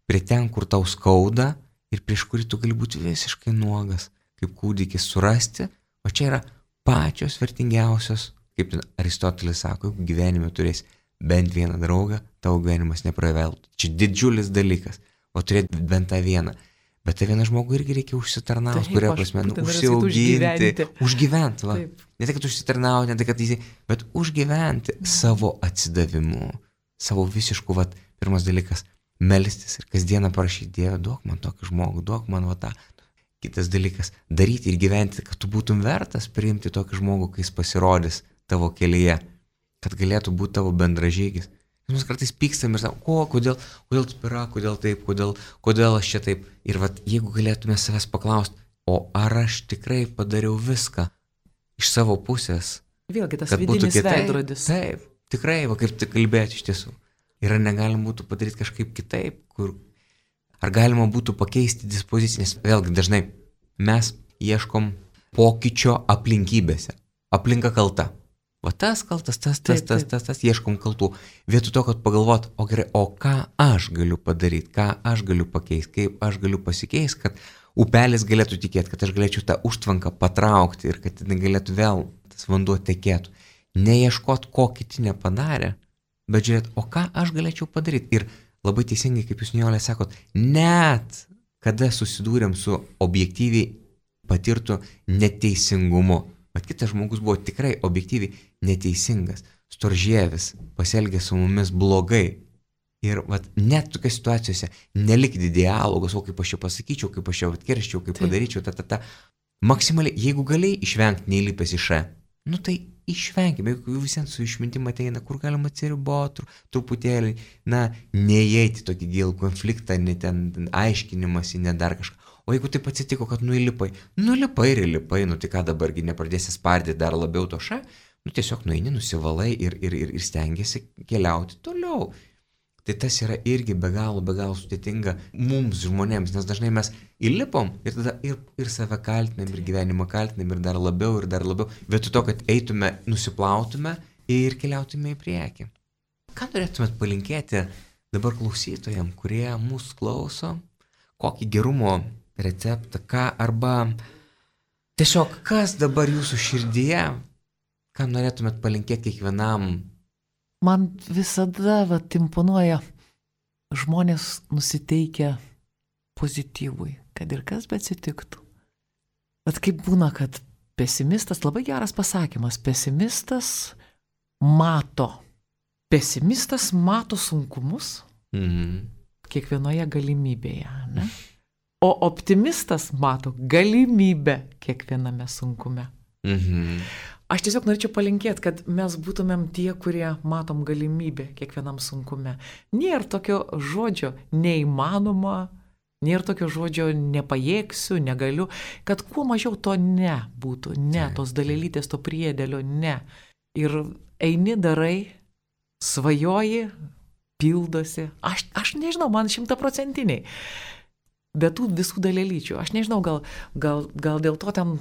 prie ten, kur tau skauda ir prieš kurį tu gali būti visiškai nuogas, kaip kūdikis surasti, o čia yra pačios vertingiausios, kaip Aristotelis sako, jeigu gyvenime turėsi bent vieną draugą, tavo gyvenimas nepraveltų. Čia didžiulis dalykas, o turėti bent tą vieną. Bet tą vieną žmogų irgi reikia užsitarnauti, kuria prasme, nu, užsiauginti, užgyventi, va. Ne tai, kad užsitarnauti, ne tai, kad įsi, bet užgyventi savo atsidavimu, savo visišku, va, pirmas dalykas, melstis ir kasdieną parašyti, Dieve, duok man tokį žmogų, duok man va tą. Kitas dalykas, daryti ir gyventi, kad tu būtum vertas priimti tokį žmogų, kai jis pasirodys tavo kelyje, kad galėtų būti tavo bendražygis. Mes kartais pykstam ir sakom, o, kodėl, kodėl taip yra, kodėl taip, kodėl, kodėl aš čia taip. Ir vat, jeigu galėtume savęs paklausti, o ar aš tikrai padariau viską iš savo pusės, vėlgi tas vidinis veidrodis. Taip, tikrai, va, kaip tik kalbėti iš tiesų. Ir ar negalima būtų padaryti kažkaip kitaip, kur, ar galima būtų pakeisti dispoziciją, nes vėlgi dažnai mes ieškom pokyčio aplinkybėse. Aplinka kalta. Va tas kaltas, tas, tas, tas, tas, tas, ieškom kaltų. Vietoj to, kad pagalvot, o gerai, o ką aš galiu padaryti, ką aš galiu pakeisti, kaip aš galiu pasikeisti, kad upelis galėtų tikėti, kad aš galėčiau tą užtvanką patraukti ir kad jinai galėtų vėl tas vanduo tekėtų. Neieškot, ko kiti nepadarė, bet žiūrėt, o ką aš galėčiau padaryti. Ir labai teisingai, kaip jūs, Nijolė, sakot, net kada susidūrėm su objektyviai patirtu neteisingumu, bet kitas žmogus buvo tikrai objektyviai neteisingas, storžievis, pasielgė su mumis blogai. Ir vat, net tokiose situacijose nelikti dialogos, o kaip aš čia pasakyčiau, kaip aš čia atkerščiau, kaip padaryčiau, ta, ta, ta. Maksimaliai, jeigu galėjai išvengti neįlipęs į šą, nu tai išvenkime, jeigu visiems su išmintim ateina, kur galima atsiriboti truputėlį, na, neįeiti tokį gilų konfliktą, ne ten aiškinimąsi, ne dar kažką. O jeigu taip atsitiko, kad nuilipai, nulipai ir įlipai, nu tai ką dabargi nepradėsi spardyti dar labiau to šą, nu tiesiog nueini, nusivalai ir, ir, ir, ir stengiasi keliauti toliau. Tai tas yra irgi be galo, be galo sudėtinga mums žmonėms, nes dažnai mes įlipom ir tada ir, ir save kaltinam, ir gyvenimą kaltinam, ir dar labiau, ir dar labiau, vietoj to, kad eitume, nusiplautume ir keliautume į priekį. Ką norėtumėt palinkėti dabar klausytojams, kurie mūsų klauso, kokį gerumo receptą, ką arba tiesiog kas dabar jūsų širdyje, ką norėtumėt palinkėti kiekvienam? Man visada vat, imponuoja žmonės nusiteikę pozityvui, kad ir kas beatsitiktų. Vat kaip būna, kad pesimistas, labai geras pasakymas, pesimistas mato, pesimistas mato sunkumus Mhm. kiekvienoje galimybėje, ne? O optimistas mato galimybę kiekviename sunkume. Mhm. Aš tiesiog norėčiau palinkėti, kad mes būtumėm tie, kurie matom galimybę kiekvienam sunkume. Nėra tokio žodžio neįmanoma, nėra tokio žodžio nepajėgsiu, negaliu, kad kuo mažiau to ne būtų, ne, tos dalelytės, to priedėlio, ne. Ir eini, darai, svajoji, pildosi. Aš, aš nežinau, man šimtaprocentiniai. Be tų visų dalelyčių. Aš nežinau, gal, gal, gal dėl to ten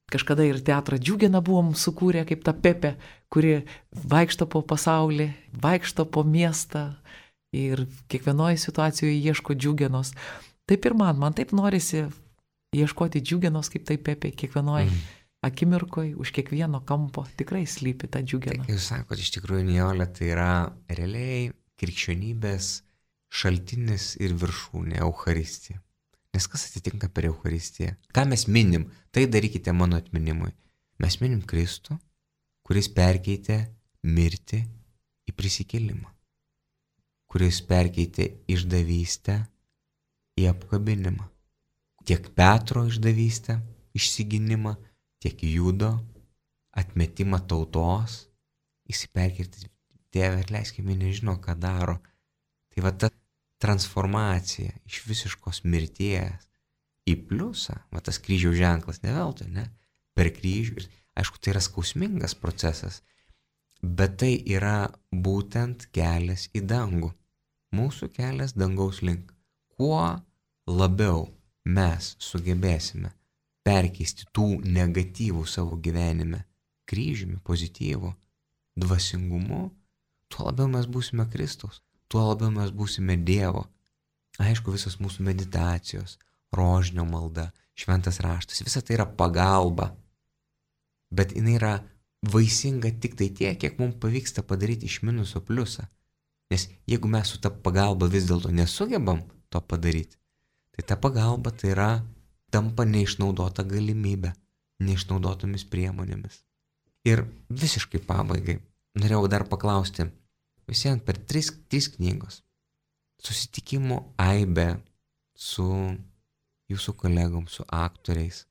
kažkada ir teatrą Džiugeną buvom sukūrę kaip ta Pepė, kuri vaikšto po pasaulį, vaikšto po miestą ir kiekvienoje situacijoje ieško Džiugenos. Taip ir man, man taip norisi ieškoti Džiugenos kaip tai Pepė, kiekvienoje mm. akimirkoje, už kiekvieno kampo tikrai slypi ta Džiugena. Tai, jūs sakote, iš tikrųjų, Nijolė, tai yra realiai krikščionybės šaltinis ir viršūnė Eucharistija. Nes kas atitinka per Eucharistiją? Ką mes minim? Tai darykite mano atminimui. Mes minim Kristų, kuris perkeitė mirtį į prisikėlimą, kuris perkeitė išdavystę į apkabinimą. Tiek Petro išdavystę, išsiginimą, tiek Judo atmetimą tautos, jis perkeitė, Tėve, atleiskime, nežino, ką daro. Tai va ta transformacija iš visiškos mirties į pliusą, va tas kryžiaus ženklas, ne veltui, ne? Per kryžių. Ir aišku, tai yra skausmingas procesas, bet tai yra būtent kelias į dangų. Mūsų kelias dangaus link. Kuo labiau mes sugebėsime perkeisti tų negatyvų savo gyvenime kryžiumi, pozityvų, dvasingumu, tuo labiau mes būsime Kristaus, tuo labiau mes būsime Dievo. Aišku, visos mūsų meditacijos, rožinio malda, šventas raštas, visa tai yra pagalba. Bet jinai yra vaisinga tik tai tiek, kiek mums pavyksta padaryti iš minuso pliusą. Nes jeigu mes su ta pagalba vis dėlto nesugebam to padaryti, tai ta pagalba tai yra tampa neišnaudota galimybė, neišnaudotomis priemonėmis. Ir visiškai pabaigai norėjau dar paklausti, visiems per tris, tris knygos, susitikimų aibė su jūsų kolegom, su aktoriais.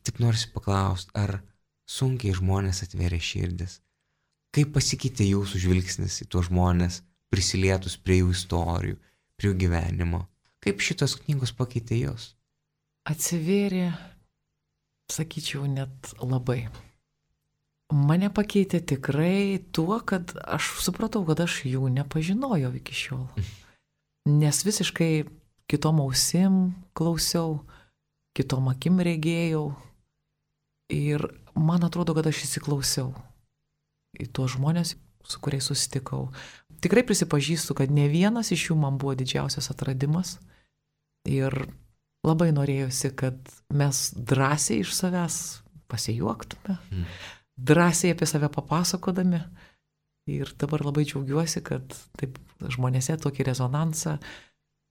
Tik norisi paklausti, ar sunkiai žmonės atvėrė širdis, kaip pasikeitė jūsų žvilgsnis į tuos žmonės, prisilietus prie jų istorijų, prie jų gyvenimo, kaip šitos knygos pakeitė jūs? Atsivėrė, sakyčiau, net labai. Mane pakeitė tikrai tuo, kad aš supratau, kad aš jų nepažinojau iki šiol. Nes visiškai kitom ausim klausiau, kitom akim regėjau. Ir man atrodo, kad aš įsiklausiau į tuos žmonės, su kuriais susitikau. Tikrai prisipažįstu, kad ne vienas iš jų man buvo didžiausias atradimas. Ir labai norėjusi, kad mes drąsiai iš savęs pasijuoktume, mm. drąsiai apie save papasakodami. Ir dabar labai džiaugiuosi, kad taip žmonėse tokį rezonansą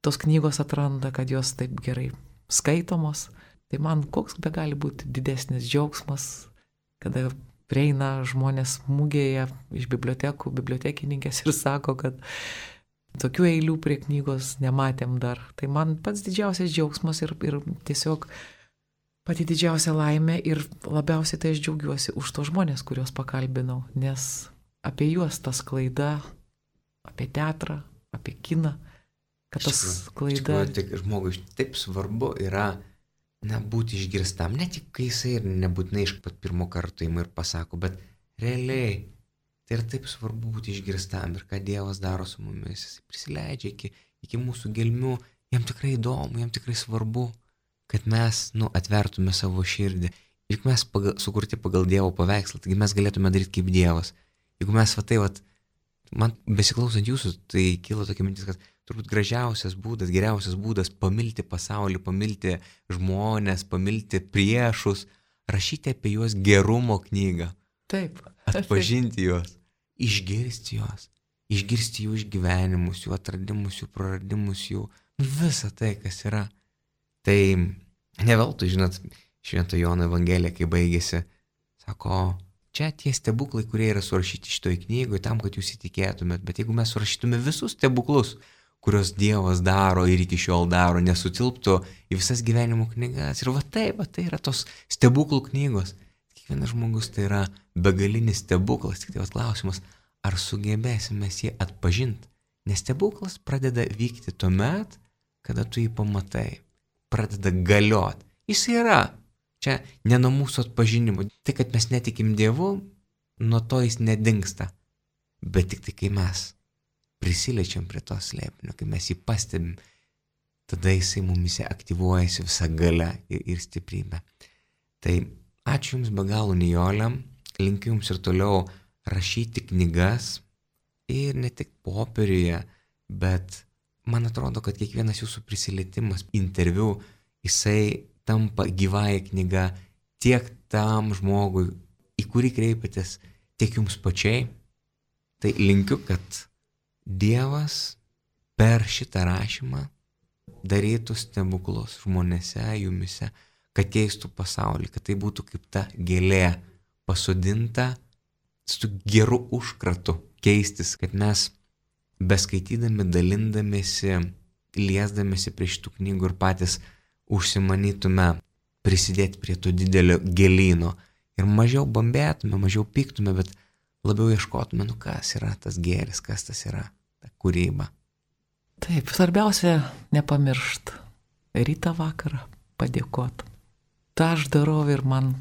tos knygos atranda, kad jos taip gerai skaitomos. Tai man koks be gali būti didesnis džiaugsmas, kada prieina žmonės mugėje iš bibliotekų, bibliotekininkės ir sako, kad tokių eilių prie knygos nematėm dar. Tai man pats didžiausias džiaugsmas ir, ir tiesiog pati didžiausia laimė ir labiausiai tai aš džiaugiuosi už tos žmonės, kuriuos pakalbinau, nes apie juos ta sklaida, apie teatrą, apie kiną, kad tas sklaida... Iš tikrųjų, žmogui taip svarbu yra na, būti išgirstam, ne tik kai jisai ir nebūtinai iš pat pirmo karto ima ir pasako, bet realiai tai yra taip svarbu būti išgirstam ir ką Dievas daro su mumis, jis prisileidžia iki, iki mūsų gelmių, jam tikrai įdomu, jam tikrai svarbu, kad mes, nu, atvertume savo širdį, juk mes pagal, sukurti pagal Dievo paveikslą, taigi mes galėtume daryti kaip Dievas. Jeigu mes va tai, va, man besiklausant jūsų, tai kilo tokia mintis, kad turbūt gražiausias būdas, geriausias būdas pamilti pasaulį, pamilti žmonės, pamilti priešus, rašyti apie juos gerumo knygą. Taip. Atpažinti juos, išgirsti juos, išgirsti jų išgyvenimus, jų atradimus, jų praradimus, jų visą tai, kas yra. Tai ne veltui, žinot, Švento Jono Evangelija, kai baigėsi, sako, čia tie stebuklai, kurie yra surašyti šitoj knygoje, tam, kad jūs įtikėtumėt, bet jeigu mes surašytume visus stebuklus, kurios Dievas daro ir iki šiol daro, nesutilptų į visas gyvenimo knygas. Ir va taip, va tai yra tos stebuklų knygos. Kiekvienas žmogus tai yra begalinis stebuklas. Tik tai vas klausimas, ar sugebėsime jį atpažinti. Nes stebuklas pradeda vykti tuomet, kada tu jį pamatai. Pradeda galiot. Jis yra. Čia ne nuo mūsų atpažinimo. Tai, kad mes netikim Dievu, nuo to jis nedingsta. Bet tik tai, kai mes prisiliečiam prie to slėpinio, kai mes jį pastebim, tada jisai mumise aktyvuojasi visą galę ir, ir stiprybę. Tai ačiū Jums be galo, Nijolė, linkiu Jums ir toliau rašyti knygas ir ne tik popieriuje, bet man atrodo, kad kiekvienas Jūsų prisilietimas, interviu, jisai tampa gyvąją knygą tiek tam žmogui, į kurį kreipiatės, tiek Jums pačiai. Tai linkiu, kad Dievas per šitą rašymą darytų stebuklus žmonėse, jumise, kad keistų pasaulį, kad tai būtų kaip ta gėlė pasodinta su geru užkratu keistis, kad mes beskaitydami, dalindamėsi, liesdamėsi prie šitų knygų ir patys užsimanytume prisidėti prie to didelio gėlyno ir mažiau bambėtume, mažiau pyktume, bet labiau ieškotume, nu kas yra tas gėris, kas tas yra ta kūryba. Taip, svarbiausia nepamiršt. Rytą vakarą padėkot. Ta aš darau ir man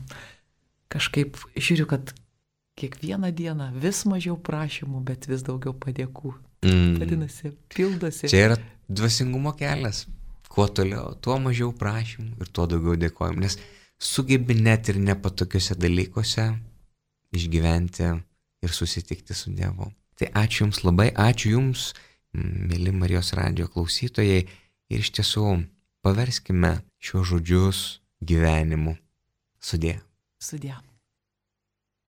kažkaip žiūriu, kad kiekvieną dieną vis mažiau prašymų, bet vis daugiau padėkų. Mm. Vadinasi, pildosi. Čia yra dvasingumo kelias. Kuo toliau, tuo mažiau prašymų ir tuo daugiau dėkojimų. Nes sugebi net ir nepatokiuose dalykuose išgyventi ir susitikti su Dievu. Tai ačiū Jums labai, ačiū Jums, mėly Marijos radijo klausytojai, ir iš tiesų paverskime šios žodžius gyvenimu. Sudie. Sudie.